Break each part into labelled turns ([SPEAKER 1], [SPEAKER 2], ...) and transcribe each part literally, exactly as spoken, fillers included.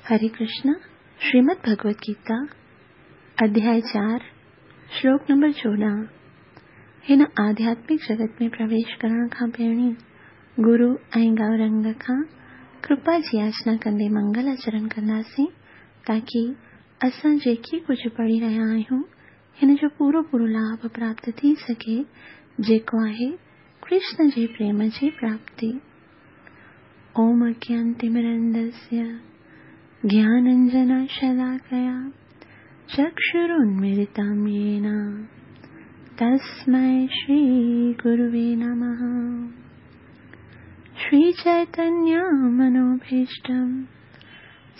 [SPEAKER 1] हरे कृष्ण। श्रीमद् भगवत गीता अध्याय चार श्लोक नंबर चोॾहं। हिन आध्यात्मिक जगत में प्रवेश करण खां पहिरीं गुरु ऐं गौरंग खां कृपा जी याचना कंदे मंगल आचरण कंदासीं, ताकी असां जेके कुझु पढ़ी रहिया आहियूं हिन जो पूरो पूरो लाभ प्राप्त थी सघे, जेको आहे कृष्ण जे प्रेम जी प्राप्ति। ओम अज्ञानतिमिरन्दस्य ज्ञानाञ्जनशलाकया चक्षुरुन्मीलितं येन तस्मै श्रीगुरुवे नमः। श्रीचैतन्यमनोभीष्टं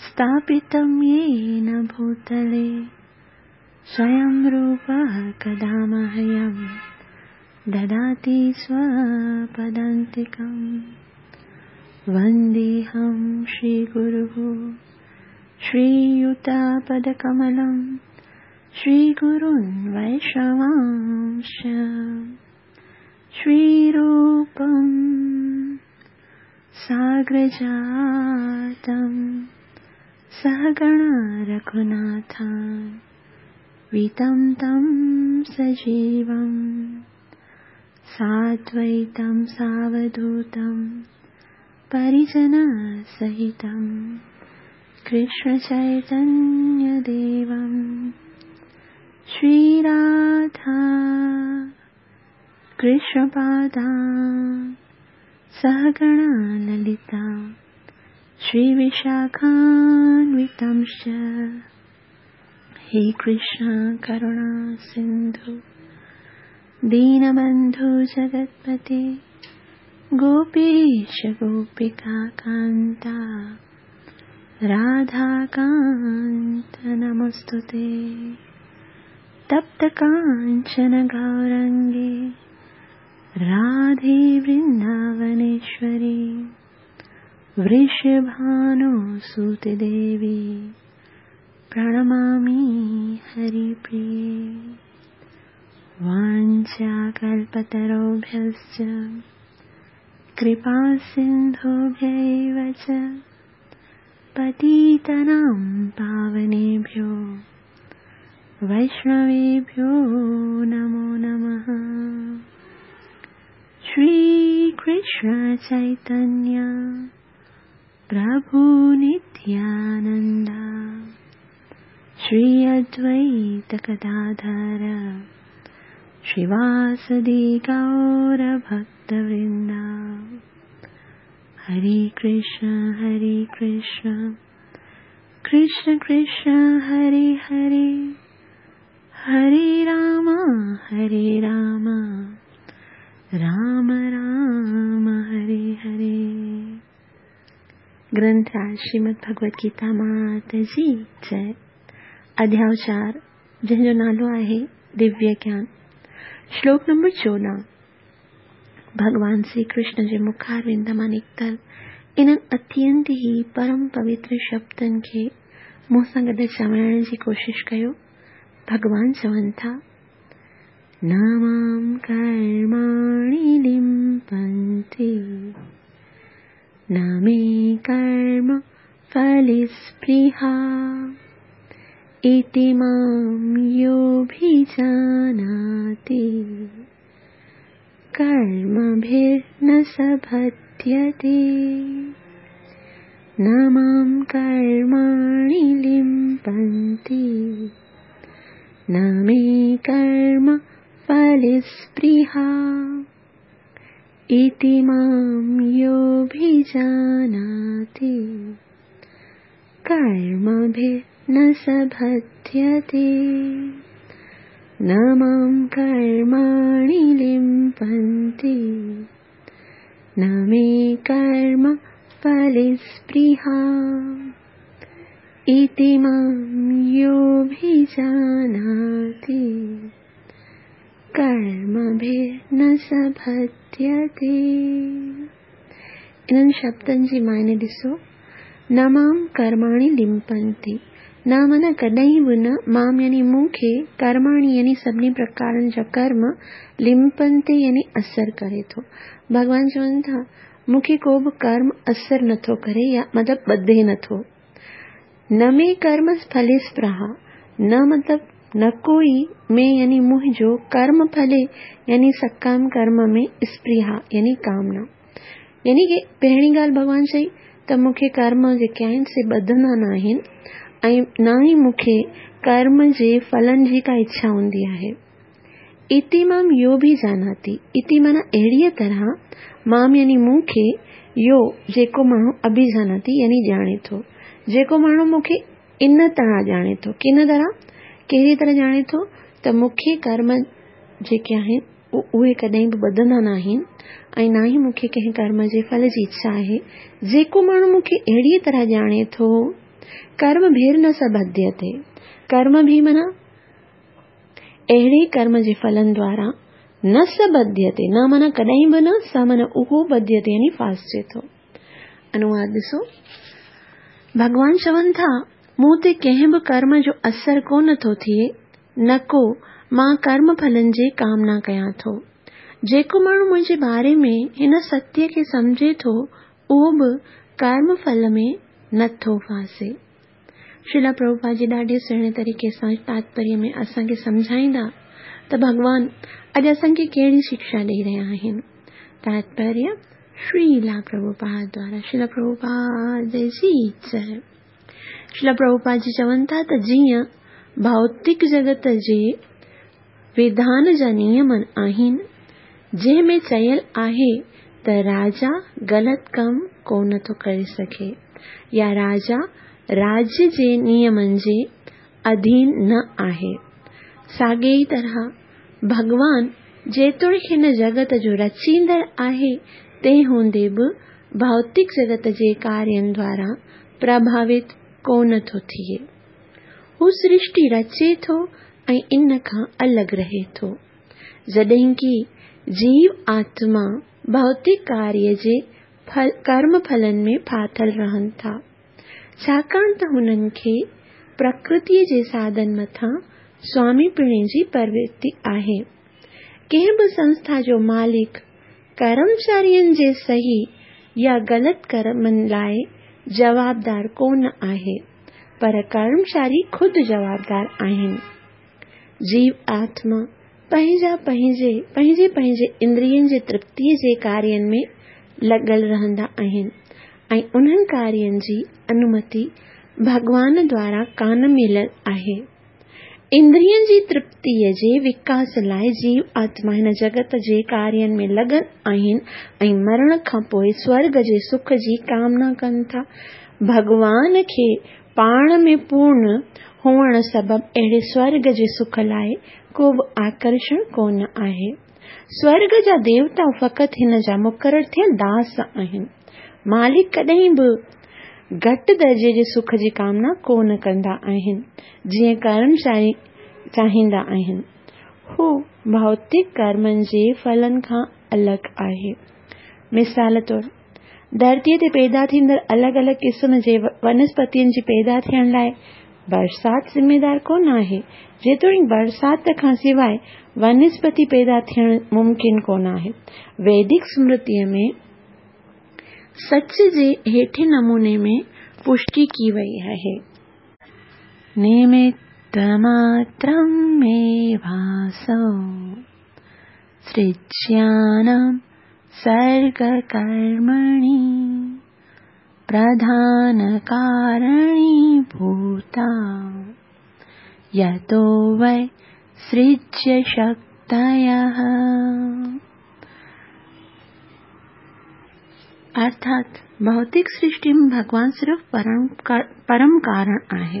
[SPEAKER 1] स्थापितं येन भूतले स्वयं रूपः कदा मह्यं ददाति स्वपदान्तिकं। वन्देऽहं श्रीगुरुः श्रीयुतपदकमलं श्रीगुरुन् वैष्णवांश्च श्रीरूपं साग्रजातं सहगण रघुनाथान्वितं तं सजीवं साद्वैतं सावधूतं परिजनसहितं कृष्णचैतन्यदेवं श्रीराधा कृष्णपादान् सहगण ललिता श्रीविशाखान्वितंश्च। हे कृष्ण करुणा सिन्धु दीनबन्धु जगत्पते गोपीश गोपिका कान्ता राधाकान्त नमोऽस्तुते। तप्त काञ्चन गौरङ्गे राधे वृन्दावनेश्वरी वृषभानुसुते देवी प्रणमामि हरिप्रिये। वाञ्छाकल्पतरुभ्यश्च कृपासिन्धुभ्यैव च पतितानां पावनेभ्यो वैष्णवेभ्यो नमो नमः। श्री कृष्ण चैतन्य प्रभु नित्यानंद श्री अद्वैत गदाधर श्रीवासदि गौर भक्तवृंद। हरे कृष्ण हरे कृष्ण कृष्ण कृष्ण हरे हरे, हरे राम हरे राम राम राम हरे हरे। ग्रंथ श्रीमद् भगवत गीता मात जी जय। अध्याय चार जंहिंजो नालो आहे दिव्य ज्ञान। श्लोक नंबर चोॾहं। भगवान श्री कृष्ण जे मुखारविंद मां निकितल इन्हनि अत्यंत ई परम पवित्र शब्दनि खे मूं सां गॾु चवण जी कोशिश कयो। भगवान चवनि था, न मां कर्माणि लिम्पन्ति न मे कर्म फलस्पृहा इति मां योऽभिजानाति कर्मभिर्न स बध्यते। न मां कर्माणि लिम्पन्ति न मे कर्म फलस्पृहा इति मां योऽभिजानाति कर्मभिर्न स बध्यते। न मां कर्माणि लिम्पन्ति न मे कर्म फलस्पृहा इति मां योऽभिजानाति कर्मभिर्न स बध्यते। इन्हनि शब्दनि जी मायने ॾिसो, न मां कर्माणि लिम्पन्ति, न माना कॾहिं बि न, मां यानी मूंखे, कर्माणि यानी सभिनी प्रकारनि जा कर्म, लिम्पन्ति यानी असर करे थो। भॻवान चवनि था मूंखे को बि कर्म असर नथो करे या मतिलबु ॿधे नथो। न मे कर्म फले स्पृहा, न मतलब न कोई, मे यानी मुंहिंजो, कर्म फले यानी सकाम कर्म में स्पृहा यानी कामना। यानी कि पहिरीं ॻाल्हि भॻवान चई त मूंखे कर्म जेके आहिनि से ॿधंदा न आहिनि ऐं न ई मूंखे कर्म जे फलनि जी का इच्छा हूंदी आहे। इति माम यो भी जानाति, इति माना अहिड़ीअ तरह, माम यानी मूंखे, यो जेको माण्हू अभिजानाति यानी ॼाणे थो, जेको माण्हू मूंखे इन तरह ॼाणे थो, किन तरह, कहिड़ी तरह ॼाणे थो त मूंखे कर्म जेके आहिनि उहे कॾहिं बि ॿधंदा न आहिनि ऐं न ई मूंखे कंहिं कर्म जे फल जी इच्छा आहे। जेको माण्हू मूंखे अहिड़ीअ तरह ॼाणे थो, कर्म भेर न स बध्यते, कर्म भी माना अहिड़े कर्म जे फलनि द्वारा न स बध्यते, न माना कॾहिं बि न, स माना उहो, बध्यते यानी फासिजे थो। अनुवाद ॾिसो, भॻवान चवनि था मूं ते कंहिं बि कर्म जो असर कोन थो थिए, न को मां कर्म फलनि जी कामना कयां थो। जेको माण्हू मुंहिंजे बारे में हिन सत्य खे सम्झे थो उहो बि कर्म फल में नथो फासे। श्रीला प्रभुपाद जी ॾाढे सुहिणे तरीक़े सां तात्पर्य में असांखे सम्झाईंदा त भॻवान अॼु असांखे कहिड़ी शिक्षा ॾेई रहिया आहिनि। तात्पर्य श्रीला प्रभुपाद द्वारा, श्रीला प्रभुपाद जी जय। श्रीला प्रभुपाद जी चवनि था त जीअं भौतिक जगत जे विधान जा नियम आहिनि, जंहिं में चयल आहे त राजा ग़लति कमु कोन थो करे सघे या राजा राज्य जे नियमनि जे अधीन न आहे। साॻे ई तरह भॻवान जेतोणीकि हिन जगत जो रचींदड़ आहे, तंहिं हूंदे बि भौतिक जगत जे कार्यनि द्वारा प्रभावित कोन थो थिए। हू सृष्टि रचे थो ऐं इन खां अलॻि रहे थो, जॾहिं कि जीव आत्मा भौतिक कार्य जे फल, कर्म फलनि में फाथल रहनि था, छाकाणि त हुननि खे प्रकृतीअ जे साधन मथां स्वामीपणे जी प्रवृत्ति आहे। कंहिं बि संस्था जो मालिक कर्मचारियुनि जे सही या ग़लति कर्मनि लाइ जवाबदार कोन आहे, पर कर्मचारी ख़ुदि जवाबदार आहिनि। जीव आत्मा पंहिंजा पंहिंजे पंहिंजे पंहिंजे इंद्रियनि जे तृप्तीअ जे कार्यनि में लॻल रहंदा आहिनि ऐं उन्हनि कार्यनि जी अनुमति भॻवान द्वारा कान मिलियल आहे। इंद्रियनि जी तृप्तीअ जे विकास लाइ जीव आत्मा हिन जगत जे कार्यनि में लॻल आहिनि ऐं मरण खां पोइ स्वर्ग जे सुख जी कामना कनि था। भॻवान खे पाण में पूर्ण हुअण सबबु अहिड़े स्वर्ग जे सुख लाइ को बि आकर्षण कोन आहे। स्वर्ग जा देवता फ़क़ति हिन जा मुक़ररु थियल दास आहिनि। मालिक कॾहिं बि घटि दर्जे जे सुख जी कामना कोन कंदा आहिनि, जीअं कर्मचारी चाहींदा आहिनि। हू भौतिक कर्मनि जे फलनि खां अलॻि आहे। मिसाल तौरु, धरतीअ ते पैदा थींदड़ अलॻि अलॻि क़िस्म जे वनस्पतियुनि जी पैदा थियण लाइ बरसाति ज़िम्मेदार कोन आहे, जेतोणीकि बरसाति खां सवाइ वनस्पति पैदा थियण मुमकिन कोन आहे। वैदिक स्मृतीअ में सच जे हेठे नमूने में पुष्टि की वई आहे। निमित्तमात्रं मेवासौ सृज्यानां सर्गकर्मणि प्रधानकारणीभूता यतो वै सृज्यशक्तयः। अर्थात भौतिक सृष्टि में भगवान सिर्फ परम, परम कारण आहे।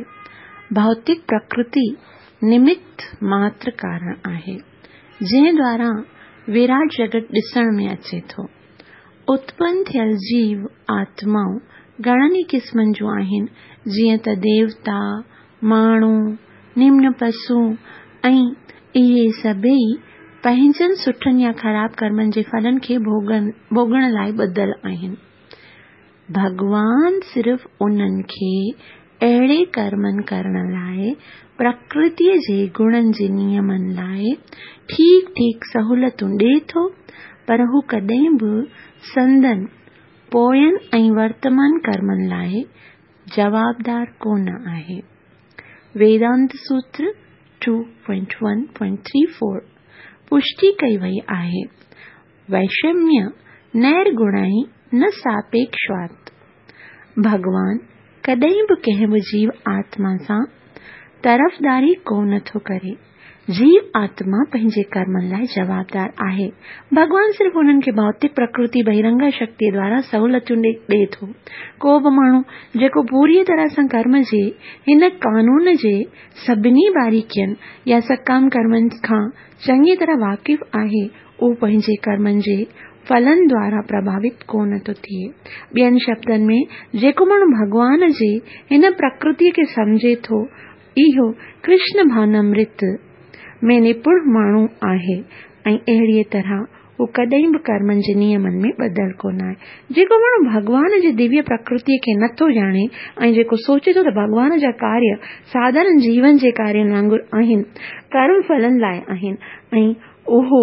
[SPEAKER 1] भौतिक प्रकृति निमित्त मात्र कारण आहे, जंहिं द्वारा विराट जगत ॾिसण में अचे थो। उत्पन्न थियल जीव आत्माऊं घणनि ई क़िस्मनि जूं आहिनि, जीअं त देवता, माण्हू, निम्न पशु ऐं इहे सभई पंहिंजनि सुठनि या ख़राब कर्मनि जे फलनि खे भोगण भोगण लाइ ॿधल आहिनि। भॻवान सिर्फ़ उन्हनि खे अहिड़े कर्मनि करण लाइ प्रकृतीअ जे गुणनि जे नियमनि लाइ ठीकु ठीकु सहूलियतूं ॾिए थो, पर हू कॾहिं बि संदन पोयनि ऐं वर्तमान कर्मनि लाइ जवाबदार कोन आहे। वेदांत सूत्र two point one point three four पुष्टि कई वई आहे। वैषम्य नैर्गुणाई न सापेक्षवात। भॻवान कॾहिं बि कंहिं बि जीव आत्मा सां तरफ़दारी कोन थो करे। जीव आत्मा पंहिंजे कर्मनि लाइ जवाबदार आहे। भॻवान सिर्फ़ उन्हनि खे भौतिक प्रकृति बहिरंगा शक्ति द्वारा सहूलियतूं ॾिए थो। को बि माण्हू जेको पूरीअ तरह सां कर्म जे हिन कानून जे सभिनी बारीकियुनि या सकाम कर्मनि खां चङी तरह वाक़िफ़ आहे, उहो पंहिंजे कर्मनि जे फलनि द्वारा प्रभावित कोन थो थिए। ॿियनि शब्दनि में, जेको माण्हू भॻवान जे हिन प्रकृति खे सम्झे थो, इहो कृष्ण भावनामृत में निपुण माण्हू आहे ऐं अहिड़ीअ तरह हू कॾहिं बि कर्मनि जे नियमनि में ॿधल कोन आहे। जेको माण्हू भॻवान जे दिव्य प्रकृति खे नथो ॼाणे ऐं जेको सोचे थो त भॻवान जा कार्य साधारण जीवन जे कार्यनि वांगुरु आहिनि, कर्म फलनि लाइ आहिनि, ऐं उहो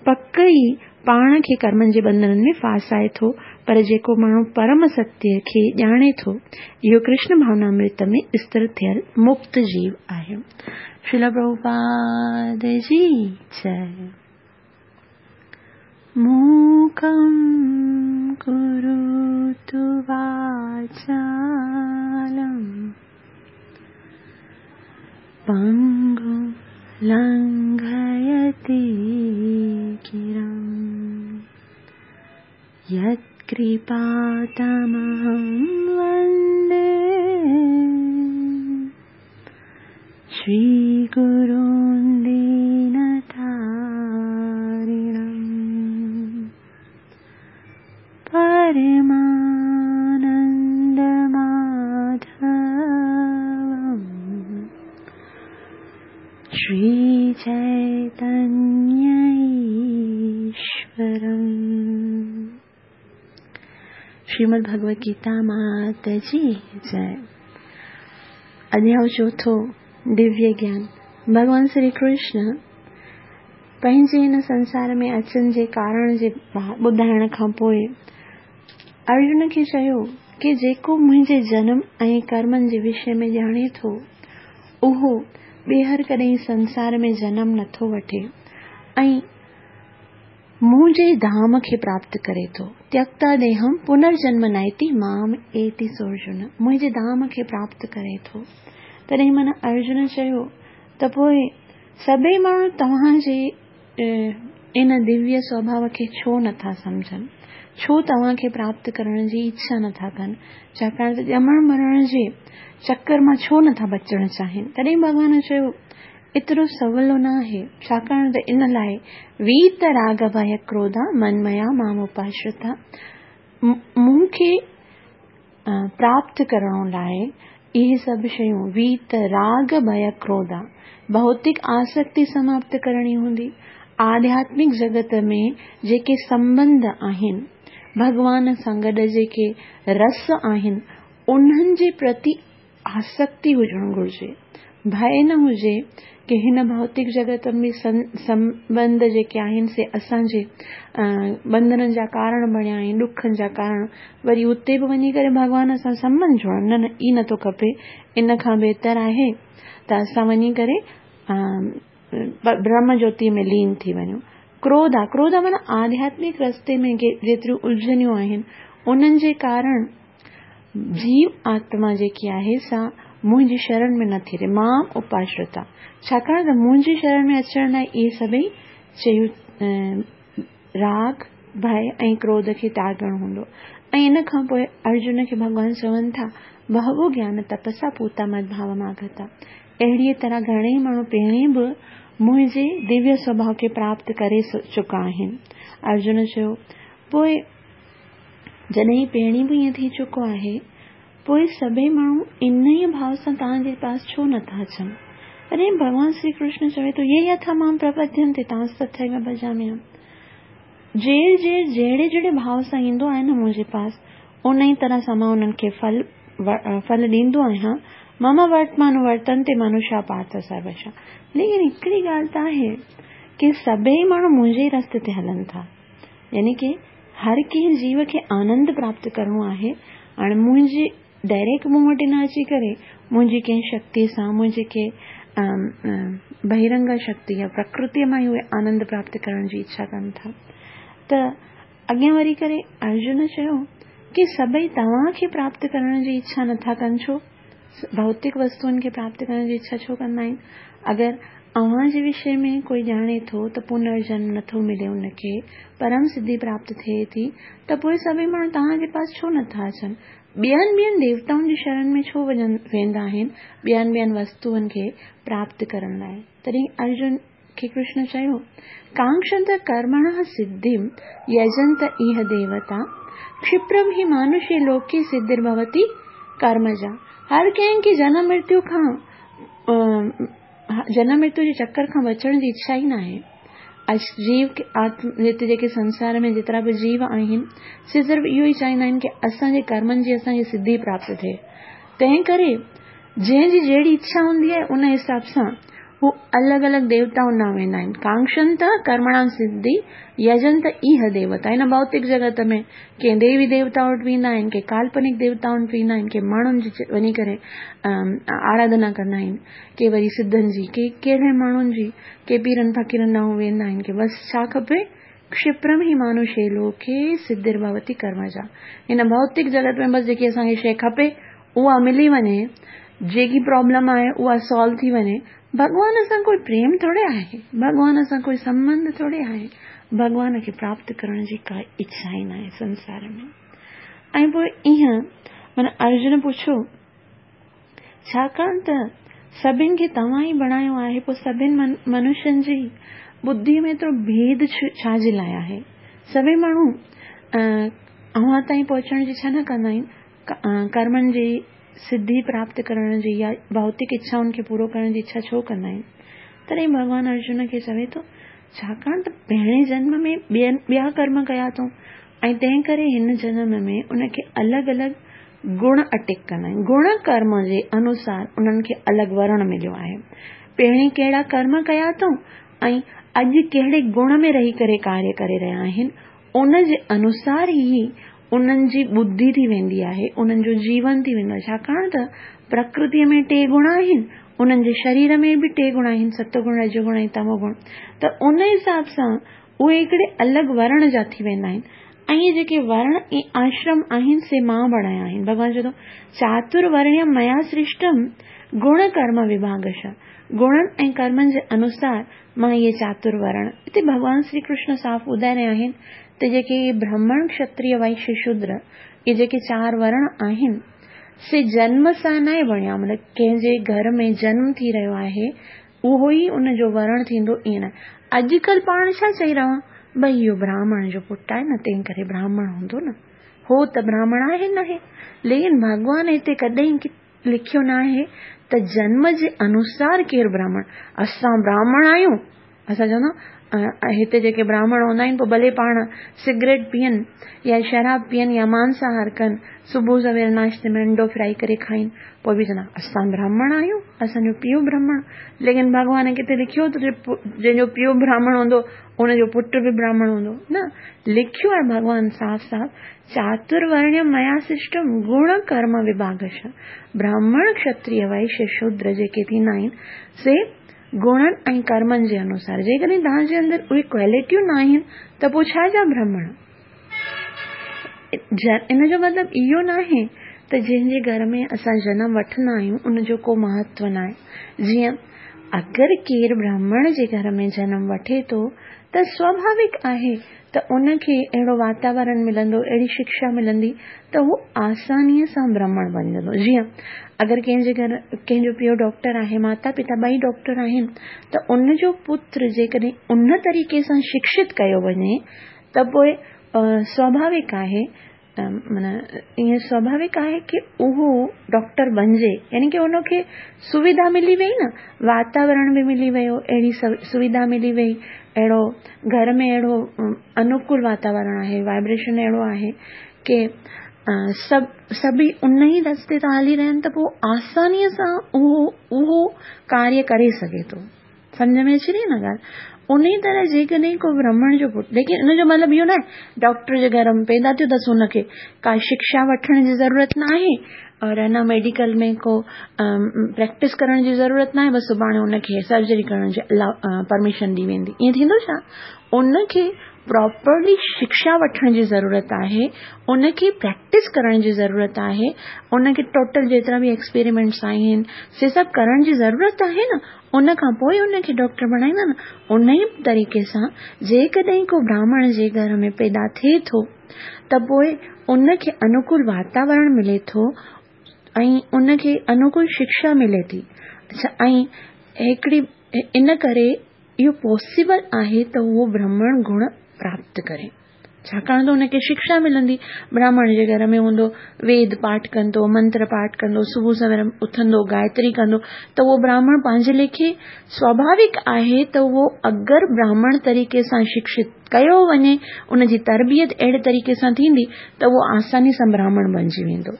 [SPEAKER 1] पक ई पाण खे कर्मनि जे बंधननि में फासाए थो। पर जेको माण्हू परम सत्य खे ॼाणे थो, इहो कृष्ण भावनामृत में स्थिर थियल मुक्त जीव आहे। श्रील प्रभुपाद जी जय। मूकं करोतु वाचालं पंगुं लंघयते गिरिं यत्कृपातमहं वन्दे श्रीगुरुं दीनतारिणं परमानन्दमाधवं श्रीचैतन्यईश्वरम्। श्रीमद् भगवद गीता मात जी जय। अध्याय चोथों, दिव्य ज्ञान। भॻवान श्री कृष्ण पंहिंजे हिन संसार में अचण जे कारण जे ॿुधाइण खां पोइ अर्जुन खे चयो की जेको मुंहिंजे जनम ऐं कर्मनि जे विषय में ॼाणे थो, उहो ॿीहर कॾहिं संसार में जनम नथो वठे ऐं मुंहिंजे धाम खे प्राप्त करे थो। त्यक्ता देहम पुनर्जन्म नाइति माम एति सोऽर्जुन, मुंहिंजे धाम खे प्राप्त करे थो। तॾहिं माना अर्जुन चयो त पोइ सभई माण्हू तव्हांजे इन दिव्य स्वभाव खे छो नथा सम्झनि, छो तव्हांखे प्राप्त करण जी इच्छा नथा कनि, छाकाणि त ॼमण मरण जे चक्कर मां छो नथा बचणु चाहिनि। तॾहिं भॻवान चयो एतिरो सवलो न आहे, छाकाणि त इन लाइ वीत राग भय क्रोधा मनमया माम उपाश्रिता, मूंखे प्राप्त करण लाइ इहे सभु शयूं वीत राग भय क्रोधा भौतिक आसक्ति समाप्त करणी हूंदी। आध्यात्मिक जगत में जेके संबंध आहिनि, भॻवान सां गॾु जेके रस आहिनि, उन्हनि जे प्रति आसक्ति हुजणु घुरिजे। भय न हुजे की हिन भौतिक जगत में संबंध जेके आहिनि से असांजे बंधननि जा कारण बणिया आहिनि, ॾुखनि जा कारण, वरी उते बि वञी करे भॻवान सां संबंध जोड़ण न, ई नथो खपे। इन खां बहितर आहे त असां वञी करे ब्रह्म ज्योति में लीन थी वञूं। क्रोध आहे, क्रोध माना आध्यात्मिक रस्ते में जेतिरियूं उलझनियूं आहिनि, उन्हनि जे कारण जीव आत्मा जेकी आहे सा मुंहिंजी शरण में नथी रहे। मां उपाश्रिता, छाकाणि त मुंहिंजी शरण में अचण लाइ इहे सभई शयूं राग भय ऐं क्रोध खे त्यागणो हूंदो। ऐं इन खां पोइ अर्जुन खे भॻवान चवनि था, बहवो ज्ञान तपसा पूता मद भाव मागता। अहिड़ीअ तरह घणेई माण्हू पहिरीं बि मुंहिंजे दिव्य स्वभाव खे प्राप्त करे चुका आहिनि। अर्जुन चयो, पोइ जॾहिं पहिरीं बि ईअं थी चुको आहे, पोइ सभई माण्हू इन ई भाव सां तव्हांजे पास छो नथा अचनि? तॾहिं भॻवान श्री कृष्ण चवे थो, ये यथा मां प्रपद्यन्ते तांस तथैव भजाम्यहम्। जेर जेर जहिड़े जहिड़े भाव सां ईंदो आहे न मुंहिंजे पास, उन ई तरह सां मां उन्हनि खे फल फल ॾींदो आहियां। मम वर्तमानुवर्तन्ते मनुष्या पार्थ सर्वशः। लेकिन हिकिड़ी ॻाल्हि त आहे की सभई माण्हू मुंहिंजे ई रस्ते ते हलनि था, यानी की हर कंहिं जीव खे आनंद प्राप्त करिणो आहे। हाणे मुंहिंजी डायरेक्ट मूं वटि न अची करे मुंहिंजी कंहिं शक्ति सां, मुंहिंजे कंहिं बहिरंगा शक्ति या प्रकृतीअ मां ई उहे आनंद प्राप्त करण जी इच्छा कनि था। त अॻियां वरी करे अर्जुन चयो की सभई तव्हांखे प्राप्त करण जी इच्छा नथा कनि, छो भौतिक वस्तुअनि खे प्राप्त करण जी इच्छा छो कंदा आहिनि? अगरि अव्हां जे विषय में कोई ॼाणे थो त पुनर्जन्म नथो मिले उनखे, परम सिद्धि प्राप्त थिए थी, त पोइ सभई माण्हू तव्हांजे पास छो नथा अचनि? ॿियनि ॿियनि देवताउनि जी शरण में छो वञनि वेंदा आहिनि ॿियनि ॿियनि वस्तुअनि खे प्राप्त करण लाइ? तॾहिं अर्जुन खे कृष्ण चयो, कांक्षंत कर्मणः सिद्धिं यजंत इह देवता क्षिप्रम हि मानुषे लोके सिद्धिर्भवति कर्मजा। हर कंहिंखे जनम मृत्यु खां जनम मृत्यु जे चक्कर खां बचण जी इच्छा ई न आहे। जीव आत्म हिते जेके संसार में जेतिरा बि जीव आहिनि से सिर्फ़ इहो ई चाहींदा आहिनि की असांजे कर्मनि जी असांखे सिद्धि प्राप्त थिए। तंहिं करे जंहिंजी जहिड़ी इच्छा हूंदी आहे उन हिसाब सां हू अलॻि अलॻि देवताउनि ॾांहुं वेंदा आहिनि। कांक्षंत कर्मणा सिद्धि यजंत इह देवता। हिन भौतिक जगत में कंहिं देवी देवता वटि वेंदा आहिनि, कंहिं काल्पनिक देवताउनि वटि वेंदा आहिनि, कंहिं माण्हुनि जी वञी करे आराधना कंदा आहिनि, के वरी सिद्धनि जी, के कहिड़े माण्हुनि जी, के पीरनि फ़क़ीरनि ॾांहुं वेंदा आहिनि की बसि छा खपे? क्षिप्रम ही मानुषे लोके सिद्धिर्भवति कर्मजा। हिन भौतिक जगत में बसि जेकी असांखे शइ खपे उहा मिली वञे, जेकी प्रॉब्लम आहे उहा सॉल्व थी वञे। भॻवान सां कोई प्रेम थोरे आहे, भॻवान सां कोई संबंध थोरे आहे, भॻवान खे प्राप्त करण जी का इच्छा ई न आहे संसार में। ऐं पोइ ईअं माना अर्जुन पुछियो, छाकाणि त सभिनि खे तव्हां ई बणायो आहे, पोइ सभिनि मनुष्यनि जी बुद्धि में एतिरो भेद छा जे लाइ आहे? सभई माण्हू अव्हां ताईं पहुचण जी इच्छा न कंदा आहिनि, कर्मनि जी सिद्धि प्राप्त करण जी या भौतिक इच्छाउनि खे पूरो करण जी इच्छा छो कंदा आहिनि? तॾहिं भॻवान अर्जुन खे चवे थो, छाकाणि त पहिरें जन्म में ॿियनि ॿिया कर्म कया अथऊं ऐं तंहिं करे हिन जन्म में उनखे अलॻि अलॻि गुण अटेक कंदा आहिनि। गुण कर्म जे अनुसार उन्हनि खे अलॻि वर्ण मिलियो आहे। पहिरीं कहिड़ा कर्म कया अथऊं ऐं अॼु कहिड़े गुण में रही करे कार्य करे रहिया आहिनि, उन जे अनुसार ई उन्हनि जी बुद्धि थी वेंदी आहे, उन्हनि जो जीवन थी वेंदो आहे। छाकाणि त प्रकृतीअ में टे गुण आहिनि, उन्हनि जे शरीर में बि टे गुण आहिनि, सतगुण, रजगुण ऐं तमोगुण। त उन हिसाब सां उहे हिकिड़े अलॻि वर्ण जा थी वेंदा आहिनि। ऐं इहे जेके वर्ण ऐं आश्रम आहिनि से मां बणाया आहिनि। भॻवान चए थो, चातुर्वर्ण्यम मया सृष्टम गुण कर्म विभागश। गुणनि ऐं कर्मनि जे अनुसार मां इहे चातुर्वर्ण। हिते भॻवान श्री कृष्ण साफ़ ॿुधाए रहिया आहिनि त जेके ब्राह्मण, क्षत्रिय, वैश्य, शूद्र इहे जेके चारि वर्ण आहिनि से जन्म सां न आहे बणिया, मतिलबु कंहिंजे घर में जन्म थी रहियो आहे उहो ई उनजो वर्ण थींदो, ईअं न। अॼुकल्ह पाण छा चई रहा, भई इहो ब्राह्मण जो पुटु आहे न, तंहिं करे ब्राह्मण हूंदो न, हो त ब्राह्मण आहे न आहे। लेकिन भॻवान हिते कॾहिं लिखियो न आहे त जन्म जे अनुसार केरु ब्राह्मण। असां ब्राह्मण आहियूं, असां चवंदा हिते जेके ब्राह्मण हूंदा आहिनि पोइ भले पाण सिगरेट पीअनि या शराब पीअनि या मांसाहार कनि, सुबुह सवेर नाश्ते में अंडो फ्राई करे खाइनि, पोइ बि चवंदा असां ब्राह्मण आहियूं, असांजो पीउ ब्राह्मण। लेकिन भॻवान किथे लिखियो त जंहिंजो पीउ ब्राह्मण हूंदो उनजो पुटु बि ब्राह्मण हूंदो न। लिखियो आहे भॻवान साफ़ साफ़, चातुर्वर्ण्य मया सृष्टम गुण कर्म विभागश। ब्राह्मण, क्षत्रिय, वैश्य, शूद्र जेके थींदा आहिनि से गुणनि ऐं कर्मनि जे अनुसार। जेकॾहिं तव्हांजे अंदरि उहे क्वालिटियूं न आहिनि त पोइ छा जा ब्राह्मण? इन जो मतिलबु इहो न आहे त जंहिंजे घर में असां जनम वठंदा आहियूं उनजो को महत्व न आहे। जीअं अगरि केरु ब्राह्मण जे घर में जनम वठे थो त स्वाभाविक आहे त उनखे अहिड़ो वातावरण मिलंदो, अहिड़ी शिक्षा मिलंदी त हू आसानीअ सां ब्राह्मण बणजंदो। जीअं अगरि कंहिंजे घर कंहिंजो पीउ डॉक्टर आहे, माता पिता ॿई डॉक्टर आहिनि, त उनजो पुत्र जेकॾहिं उन तरीक़े सां शिक्षित कयो वञे त पोइ स्वाभाविक आहे, माना ईअं स्वाभाविक आहे की उहो डॉक्टर बणिजे, यानी की उनखे सुविधा मिली वई न, वातावरण बि मिली वियो, अहिड़ी सुविधा मिली वई, अहिड़ो घर में अहिड़ो अनुकूल वातावरण आहे, वाइब्रेशन अहिड़ो आहे की सभु सभई उन ई रस्ते तां हली रहिया आहिनि त पोइ आसानीअ सां उहो उहो कार्य करे सघे थो। सम्झ में अची रही न ॻाल्हि? उन ई तरह जेकॾहिं को ब्राह्मण जो पुट, लेकिन इन जो मतिलबु इहो न आहे डॉक्टर जे घर में पैदा थियो अथसि, हुनखे का शिक्षा वठण जी ज़रूरत न आहे और न मेडिकल में को प्रैक्टिस करण जी ज़रूरत न आहे, बसि सुभाणे हुनखे सर्जरी करण जी परमिशन ॾी वेंदी। ईअं थींदो छा? उनखे प्रॉपरली शिक्षा वठण जी ज़रूरत आहे, उनखे प्रैक्टिस करण जी ज़रूरत आहे, उनखे टोटल जेतिरा बि एक्सपेरिमेंट्स आहिनि से सभु करण जी ज़रूरत आहे न, उन खां पोइ उनखे डॉक्टर बणाईंदा न। उन ई तरीक़े सां जेकॾहिं को ब्राह्मण जे घर में पैदा थिए थो त पोइ उनखे अनुकूल वातावरण मिले थो ऐं उनखे अनुकूल शिक्षा मिले थी। अच्छा, ऐं हिकिड़ी इन करे इहो पॉसिबल आहे त उहो ब्राह्मण गुण प्राप्त करे, छाकाणि त हुनखे शिक्षा मिलंदी। ब्राह्मण जे घर में हूंदो, वेद पाठ कंदो, मंत्र पाठ कंदो, सुबुह सवेर उथंदो, गायत्री कंदो, त उहो ब्राह्मण पंहिंजे लेखे स्वाभाविक आहे त उहो अगरि ब्राह्मण तरीक़े सां शिक्षित कयो वञे, उनजी तरबियत अहिड़े तरीक़े सां थींदी त उहो आसानी सां ब्राह्मण बणिजी वेंदो।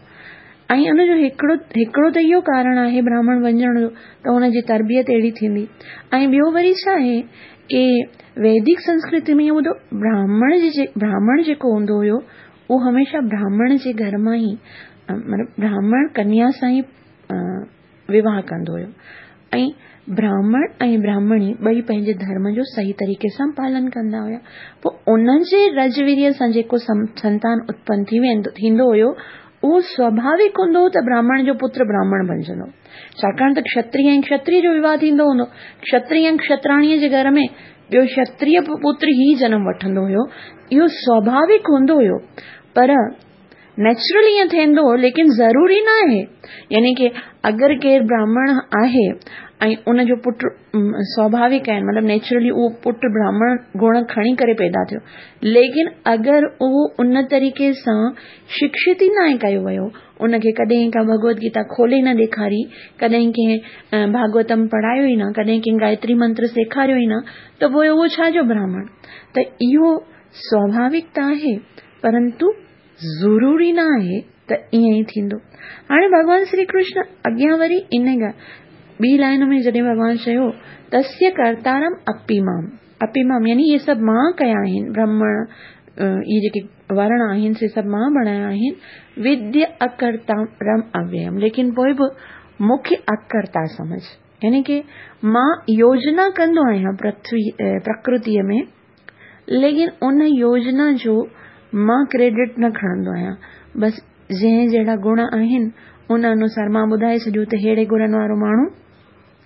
[SPEAKER 1] ऐं उनजो हिकिड़ो हिकिड़ो त इहो कारण आहे ब्राह्मण बणिजण जो त हुनजी तरबियत अहिड़ी थींदी। ऐं ॿियो वरी छा आहे की वैदिक संस्कृति में इहो ॿुधो, ब्राह्मण जे ब्राह्मण जेको हूंदो हुयो उहो हमेशह ब्राह्मण जे घर मां ई मतिलबु ब्राह्मण कन्या सां ई विवाह कंदो हुयो ऐं ब्राह्मण ऐं ब्राह्मणी ॿई पंहिंजे धर्म जो सही तरीक़े सां पालन कंदा हुया। पोइ उन्हनि जे रजवीर्य सां जेको संतान उत्पन्न थी वेंदो थींदो हुयो उहो स्वाभाविक हूंदो हो त ब्राह्मण जो पुत्र ब्राह्मण बणिजंदो, छाकाणि त क्षत्रिय ऐं क्षत्रिय जो विवाह थींदो हूंदो, क्षत्रिय ऐं क्षत्राणीअ जे घर में ॿियो क्षत्रिय पुत्र ई जनम वठंदो हुयो, इहो स्वाभाविक हूंदो हुयो। पर नेचुरली ईअं थींदो हो, लेकिन ज़रूरी न आहे। यानी की अगरि केरु ब्राह्मण आहे ऐं उनजो पुट स्वाभाविक आहे, मतिलबु नेचुरली उहो पुट ब्राह्मण गुण खणी करे पैदा थियो, लेकिन अगरि उहो उन तरीक़े सां शिक्षित ई न आहे कयो वियो, उनखे कॾहिं का भगवत गीता खोले न ॾेखारी, कॾहिं कंहिं भागवतम पढ़ायो ई न, कॾहिं कंहिं गायत्री मंत्र सेखारियो ई न, त पोइ उहो छा जो ब्राह्मण? त इहो स्वाभाविक त आहे, परंतु ज़रूरी न आहे त ईअं ई थींदो। हाणे भॻवान श्री कृष्ण अॻियां वरी इन ॻाल्हि ॿी लाइन में जॾहिं भॻवान चयो तस्य कर्तारम अपिमाम, अपिमाम यानी इहे सभु मां कया आहिनि, ब्राह्मण इहे जेके वर्ण आहिनि से सभु मां बणाया आहिनि, विद्य अकर्तारम अव्ययम, लेकिन पोइ बि मूंखे अकर्ता समझ, यानी की मां योजना कंदो आहियां पृथ्वी प्रकृतीअ में, लेकिन उन योजना जो मां क्रेडिट न खणंदो आहियां, बसि जंहिं जहिड़ा गुण आहिनि उन अनुसार मां ॿुधाए छॾियो त अहिड़े गुणनि वारो माण्हू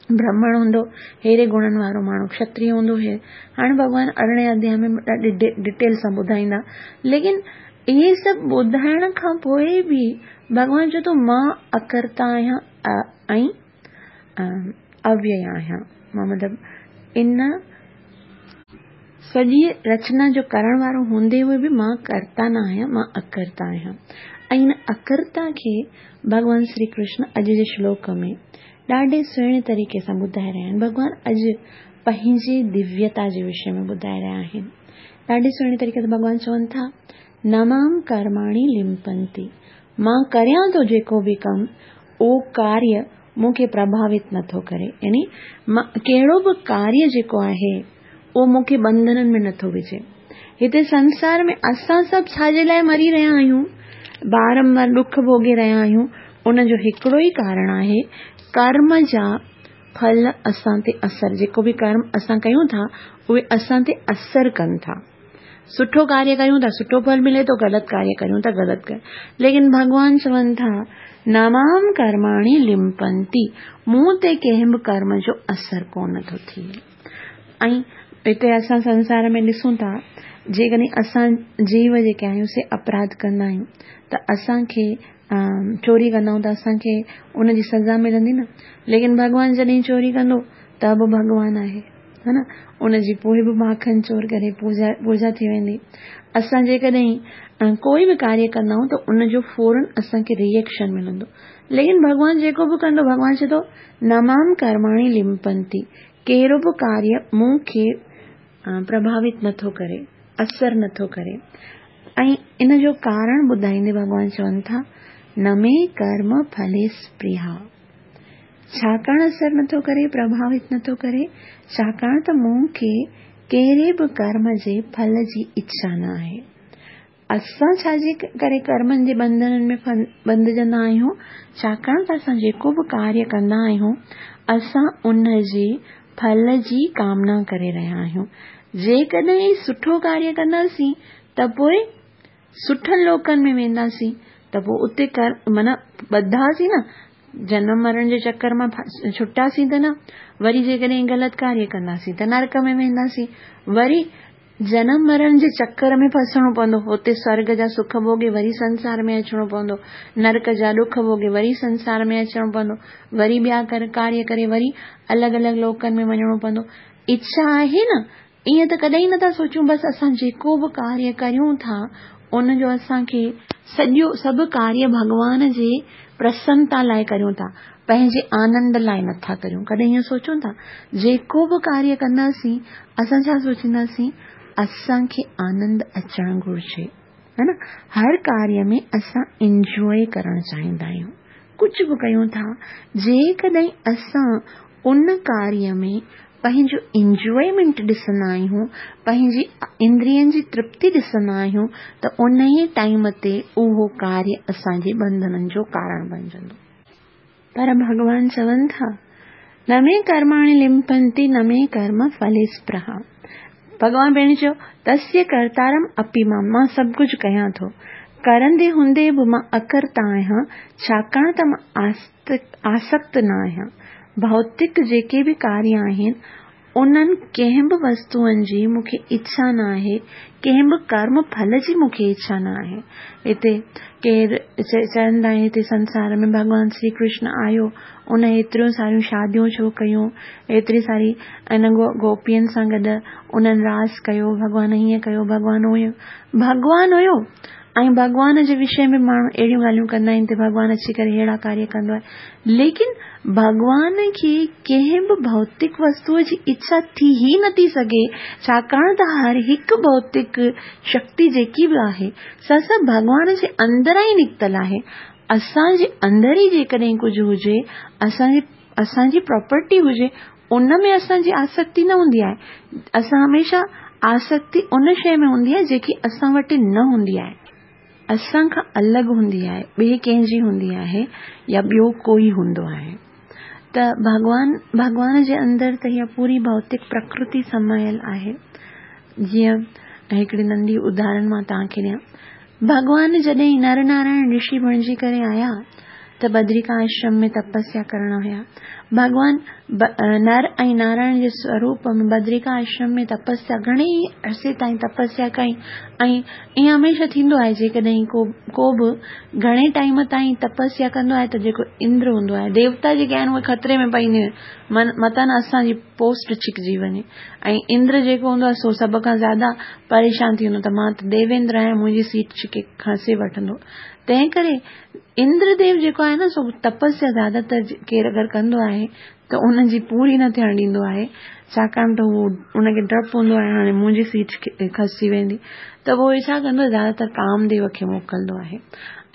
[SPEAKER 1] ब्राह्मण हूंदो, अहिड़े गुणनि वारो माण्हू क्षत्रिय हूंदो। हे हाणे भॻवान अरिड़हें अध्याय में ॾाढे डिटेल सां ॿुधाईंदा, लेकिन इहे सभु ॿुधाइण खां पोइ बि भॻवान चए थो मां अकर्ता आहियां ऐं अव्यय आहियां, मां मतिलबु इन सॼी रचना जो करण वारो हूंदे हुए बि मां कर्ता न आहियां, मां अकर्ता आहियां। ऐं इन अकर्ता खे भॻवान श्री कृष्ण अॼु जे श्लोक में ॾाढे सुहिणे तरीक़े सां ॿुधाए रहिया आहिनि। भॻवान अॼु पंहिंजी दिव्यता जे विषय में ॿुधाए रहिया आहिनि। ॾाढे सुहिणे तरीक़े सां भॻवान चवनि था, न मां कर्माणि लिम्पन्ति, मां करियां थो जेको बि कमु उहो कार्य मूंखे प्रभावित नथो करे, यानी मां कहिड़ो बि कार्य जेको आहे उहो मूंखे बंधननि में नथो विझे। हिते संसार में असां सभु छाजे लाइ मरी रहिया आहियूं, बारंबार ॾुख भोगे रहिया आहियूं, उनजो हिकिड़ो ई कारण आहे कर्म जा फल असां ते असर, जेको बि कर्म असां कयूं था उहे असां ते असर कनि था। सुठो कार्य कयूं था सुठो फल मिले थो, ग़लति कार्य कयूं था ग़लति कर, लेकिन भॻवान चवनि था न मां कर्माणि लिम्पन्ति, मूं ते कंहिं बि कर्म जो असर कोन थो थिए। ऐं हिते असां संसार में ॾिसूं था जेकॾहिं असां जीव जेके आहियूं से अपराध कंदा आहियूं त असांखे चोरी कंदा आहियूं त असांखे उनजी सज़ा मिलंदी न, लेकिन भॻवान जॾहिं चोरी कंदो त बि भॻवान आहे, हा न, उनजी पोइ बि माखन चोर करे पूजा पूजा थी वेंदी। असां जेकॾहिं कोई बि कार्य कंदा आहियूं त उनजो फ़ौरन असांखे रिएक्शन मिलंदो, लेकिन भॻवान जेको बि कंदो, भॻवान चए थो न मां कर्माणि लिम्पन्ति, कहिड़ो बि कार्य मूंखे प्रभावित नथो करे, असर नथो करे। ऐं इन जो कारण ॿुधाईंदे भॻवान चवनि था न मे कर्म फले स्पृहा, छाकाणि असर नथो करे, प्रभावित नथो करे, छाकाणि त मूंखे ڪهڙي به ڪرم جي ڦل جي اڇا نه آهي. اسان ڇا جي ڪري ڪرمن جي ٻنڌنن ۾ ٻنڌجندا آهيون؟ ڇاڪاڻ ته اسان جيڪو به ڪاريه ڪندا آهيون اسان ان جي ڦل جي ڪامنا ڪري رهيا آهيون. جيڪڏهن سٺو ڪاريه ڪنداسين ته پوءِ سٺن لوڪن ۾ وينداسين، ته پوءِ اتي ڪر معنيٰ ٻڌاسين نه، جنم مرڻ جي چڪر مان ڇٽاسين ته نه، وري جيڪڏهن غلط ڪاريه ڪنداسين ته نرڪ ۾ وينداسين، وري جنم مرڻ جي چڪر ۾ ڦسڻو پوندو، هتي سورڳ جا سک ڀوڳي وري سنسار ۾ اچڻو پوندو، نرڪ جا ڏک ڀوڳي وري سنسار ۾ اچڻو پوندو، وري ٻيا ڪاريه ڪري وري الڳ الڳ لوڪن ۾ وڃڻو پوندو. اڇا آهي نه، ائين ته ڪڏهن نٿا سوچون، بس اسان جيڪو به ڪاريه ڪريون ٿا ان جو اسان کي سڄو سڀ ڪاريه ڀڳوان جي پرسنتا لاءِ ڪريون ٿا، پنهنجي آنند لاءِ نٿا ڪريون. ڪڏهن ائين سوچون ٿا؟ جيڪو به ڪاريه ڪنداسين اسان ڇا سوچينداسين؟ اسان کي آنند اچڻ گهرجي، ها نه؟ هر ڪاريه ۾ اسان انجواءِ ڪرڻ چاهيندا آهيون. ڪجهه به ڪيون ٿا، جيڪڏهن اسان ان ڪاريه ۾ پنهنجو انجوائمينٽ ڏسندا آهيون، پنهنجي اندرين جي ترپتي ڏسندا آهيون، ته ان ئي ٽائيم تي اهو ڪاريه اسان جي ٻنڌنن جو ڪارڻ بڻجندو. پر ڀڳوان چون ٿا، نه مي ڪرماڻي لمپنتي نه مي ڪرم ڦلي سپرها. ڀڳوان پهرين چيو تسيه ڪرتارم اپي مان، مان سڀ ڪجهه ڪيان ٿو، ڪرندي هوندي به مان اڪرتا آهيان، ڇاڪاڻ ته مان آسڪت نه آهيان. ڀوتڪ جيڪي به ڪاريه آهن انهن ڪنهن به وستوئن جي مون کي اڇا نه آهي، ڪنهن به ڪرم ڦل جي مون کي اڇا نه آهي. هتي ڪير چوندا آهن هتي سنسار ۾ ڀڳوان شري ڪرشن آيو، ان ايتريون ساريون شاديون ڇو ڪيون، ايتري ساري ان گوپين سان گڏ انهن راس ڪيو، ڀڳوان هيئن ڪيو، ڀڳوان هيئن، ڀڳوان هيو. ۽ ڀڳوان جي وشي ۾ ماڻهو اهڙيون ڳالهيون ڪندا آهن ته ڀڳوان اچي ڪري اهڙا ڪاريه ڪندو آهي، ليڪن ڀڳوان کي ڪنهن به ڀوتڪ وستوءَ جي اڇا ٿي ئي نٿي سگهي، ڇاڪاڻ ته هر هڪ ڀوتڪ شڪتي جيڪي به آهي سا سڀ ڀڳوان جي اندران ئي نڪتل آهي. اسان جي اندر ئي جيڪڏهن ڪجهه هجي، اسان جي اسان جي پراپرٽي هجي، ان ۾ اسان جي آسڪتي نه هوندي آهي. اسان هميشه آسڪتي ان شيءِ ۾ هوندي آهي جيڪي اسان وٽ نه هوندي آهي، اسان کان الڳ هوندي آهي، ٻئي ڪنهن جي هوندي آهي يا ٻيو ڪوئي هوندو آهي. ته ڀڳوان ڀڳوان جي اندر ته اها پوري ڀوتڪ پرڪرتي سمايل آهي. جيئن هڪڙي ننڍي اداهرڻ مان توهان کي ڏيان، ڀڳوان جڏهن نر نارائڻ رشي بڻجي ڪري آيا ته بدرڪا آشرم ۾ تپسيا ڪرڻ هيا. ڀڳوان نر ۽ نارائڻ جي سوروپ ۾ بدرڪا آشرم ۾ تپسيا گهڻي ئي عرصي تائين تپسيا ڪئي. ۽ ائين هميشه ٿيندو آهي جيڪڏهن ڪو ڪو به گهڻي ٽائيم تائين تپسيا ڪندو آهي ته جيڪو اندر هوندو آهي، ديوتا جيڪي آهن اهي خطري ۾ پئيندا آهن، متان اسان جي پوسٽ ڇڪجي وڃي. ۽ اندر جيڪو هوندو آهي سو سڀ کان زياده پريشان ٿي ويندو ته مان ته ديويندر آهيان، منهنجي سيٽ ڇڪي کسي وٺندو. تنهن ڪري اندرديو جيڪو آهي نه سو تپسيا زياده تر ڪير اگر ڪندو آهي ته ان جي پوري نه ٿيڻ ڏيندو آهي، ڇاڪاڻ ته اهو ان کي ڊپ هوندو آهي هاڻي منهنجي سيٽ کسجي ويندي. ته پوءِ ڇا ڪندو آهي، زياده تر ڪامديو کي موڪلندو آهي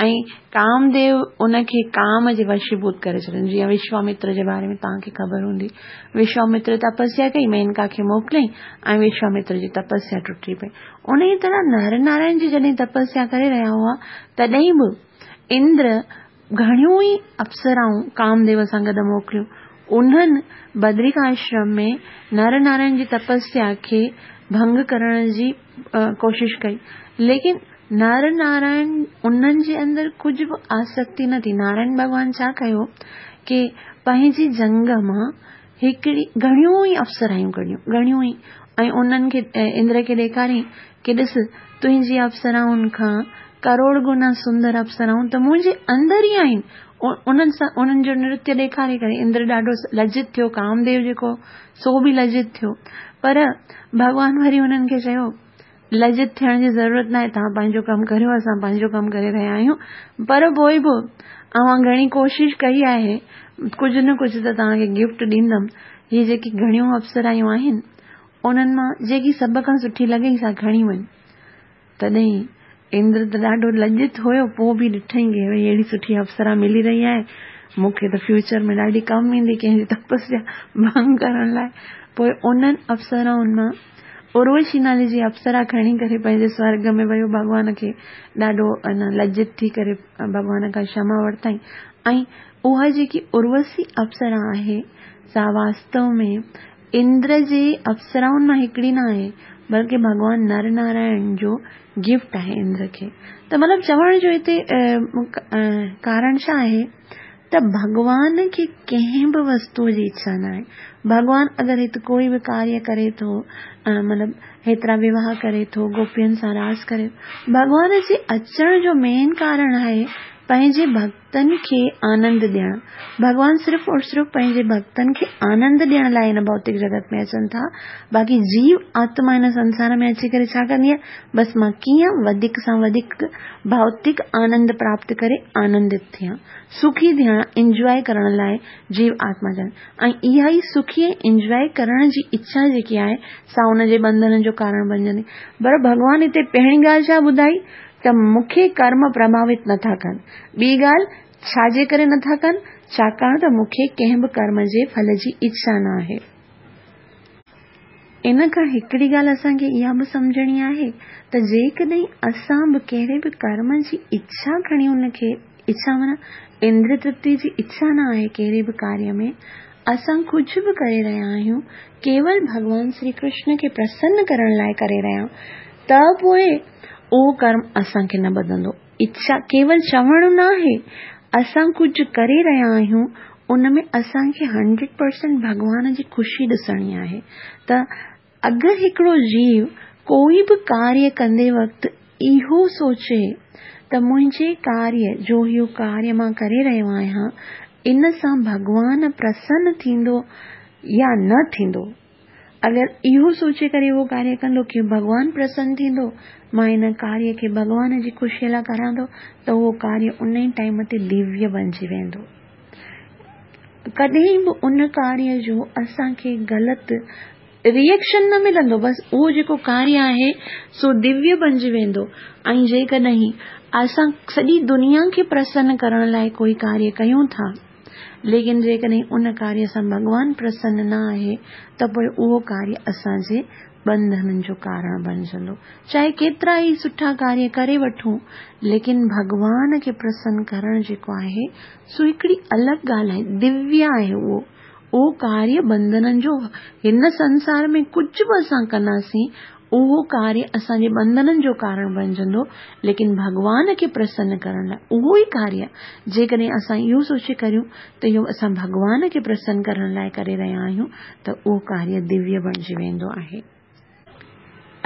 [SPEAKER 1] ۽ ڪامديو ان کي ڪام جي وشيڀوت ڪري ڇڏيندو. جيئن وشوامتر جي باري ۾ توهان کي خبر هوندي، وشوامتر تپسيا ڪئي، مينڪا کي موڪليائين ۽ وشوامتر جي تپسيا ٽٽي پئي. ان ئي طرح نر نارائڻ جي جڏهن تپسيا ڪري رهيا هئا تڏهن به اندر گهڻيون ئي اپسرائون ڪامديو سان گڏ موڪليون. انهن بدرڪا آشرم ۾ نر نارائڻ جي تپسيا کي ڀنگ ڪرڻ جي ڪوشش ڪئي، ليڪن نر نارائڻ انهن جي اندر ڪجهه به آسڪتي نه ٿي. نارائڻ ڀڳوان ڇا ڪيو ڪه پنهنجي جنگ مان هڪڙي گهڻيون ئي اپسرايون ڪڍيون، گهڻيون ئي، ۽ انهن کي اندر کي ڏيکاريائين ڪه ڏس تنهنجي اپسرائن کان ڪروڙ گنا سندر اپسرائون ته منهنجي اندر ئي آهن. انهن سان انهن جو نرتيه ڏيکاري ڪري اندر ڏاڍو لجت ٿيو، ڪامديو جيڪو سو به لجت ٿيو. پر ڀڳوان وري انهن کي چيو لجت ٿيڻ جي ضرورت نه آهي، توهان پنهنجو ڪم ڪريو، اسان پنهنجو ڪم ڪري رهيا آهيون. پر پوءِ به اوهان گهڻي ڪوشش ڪئي آهي، ڪجهه نه ڪجهه ته توهان کي گفٽ ڏيندم. هي جيڪي گهڻيون اپسرايون آهن انهن مان جيڪي سڀ کان سٺي لڳئي سا کڻي وڃ. تڏهن اندر ته ڏاڍو لجت هيو، پوءِ به ڏٺئين ڪه ڀئي اهڙي سٺي اپسرا ملي رهي آهي، مون کي ته فيوچر ۾ ڏاڍي ڪم ايندي ڪنهن جي تپسيا ڀنگ ڪرڻ لاءِ. پوءِ انهن اپسرائن مان اروشي نالي جي اپسرا کڻي ڪري پنهنجي سورڳ ۾ ويو. ڀڳوان کي ڏاڍو لجت ٿي ڪري ڀڳوان کان ڪشما ورتائين. ۽ اها جيڪي اروشي اپسرا آهي سا واستو ۾ اندر جي اپسرائن مان هڪڙي نه آهي، بلڪه ڀڳوان نر نارائڻ جو گفٽ آهي اندر کي. ته مطلب چوڻ جو هتي ڪارڻ ڇا آهي ته ڀڳوان کي ڪنهن به وستوءَ جي اڇا نه آهي. ڀڳوان اگر هتي ڪوئي به ڪاريه ڪري ٿو، مطلب هيترا وواهه ڪري ٿو، گوپين سان راس ڪري، ڀڳوان جي اچڻ جو مين ڪارڻ آهي پنهنجي ڀڪتن کي آنند ڏيڻ. ڀڳوان صرف اور صرف پنهنجي ڀڪتن کي آنند ڏيڻ لاءِ هن ڀوتڪ جڳت ۾ اچن ٿا. باقي جيو آتما هن سنسار ۾ اچي ڪري ڇا ڪندي آهي؟ بس مان ڪيئن وڌيڪ سان وڌيڪ ڀوتڪ آنند پراپت ڪري آنندت ٿيان، سکي ٿيان، انجواءِ ڪرڻ لاءِ جيو آتما چوندي. ۽ اها ئي سکي ۽ انجواءِ ڪرڻ جي اڇا جيڪي آهي سا ان جي ٻنڌنن جو ڪارڻ بڻجندي. پر ڀڳوان هتي پهرين ڳالهه ڇا ٻڌائي ته مون کي ڪرم پرڀاوت نٿا ڪن. ٻي ڳالهه ڇا جي ڪري نٿا ڪن؟ ڇاڪاڻ ته مون کي ڪنهن به ڪرم جي ڦل جي اڇا نه آهي. ان کان هڪڙي ڳالهه اسان کي اها به سمجهڻي آهي ته جيڪڏهن اسان به ڪهڙي به ڪرم جي اڇا کڻي ان کي اڇا معنيٰ اندر ترپتي جي اڇا نه آهي ڪهڙي به ڪاريه ۾ اسان ڪجهه به ڪري رهيا آهيون، ڪيول ڀڳوان شري ڪرشن کي پرسن ڪرڻ لاءِ ڪري رهيا آهيون، ته پوءِ اهو ڪرم اسان کي نه ٻڌندو. اڇا ڪيول چوڻ نه آهي، اسان ڪجهه ڪري رهيا آهيون ان ۾ اسان کي هنڊريڊ پرسينٽ ڀڳوان جي خوشي ڏسڻي آهي. ته اگر هڪڙو جيو ڪوئي به ڪاريه ڪندي وقت اهو سوچي ته منهنجي ڪاريه جو اهو ڪاريه مان ڪري رهيو آهيان ان سان ڀڳوان پرسن ٿيندو يا نه ٿيندو، اگر اهو سوچي ڪري اهو ڪاريه ڪندو ڪه ڀڳوان پرسن ٿيندو، مان ان ڪاريه کي ڀڳوان جي خوشيءَ لاءِ ڪران ٿو، ته اهو ڪاريه ان ئي ٽائيم تي دويه بڻجي ويندو. ڪڏهن به ان ڪاريه جو اسان کي غلط ريئيڪشن نه ملندو، بس اهو جيڪو ڪاريه آهي سو دويه بڻجي ويندو. ۽ جيڪڏهن اسان سڄي دنيا کي پرسن ڪرڻ لاءِ ڪوئي ڪاريه ڪيون ٿا، ليڪن جيڪڏهن ان ڪاريه سان ڀڳوان پرسن نه آهي ته پوءِ اهو ڪاريه اسان جي ٻنڌنن جو ڪارڻ بڻجندو. چاهي ڪيترا ئي سٺا ڪاريه ڪري وٺون، ليڪن ڀڳوان کي پرسن ڪرڻ جيڪو آهي سو هڪڙي الڳ ڳالهه آهي، دويه آهي اهو. اهو ڪاريه ٻنڌنن جو هن سنسار ۾ ڪجهه به اسان ڪنداسين اهو ڪاريه اسان جي ٻنڌنن جو ڪارڻ بڻجندو، ليڪن ڀڳوان کي پرسن ڪرڻ لاءِ اهو ئي ڪاريه جيڪڏهن اسان اهو سوچي ڪريون ته اهو اسان ڀڳوان کي پرسن ڪرڻ لاءِ ڪري رهيا آهيون ته اهو ڪاريه دويه بڻجي ويندو آهي.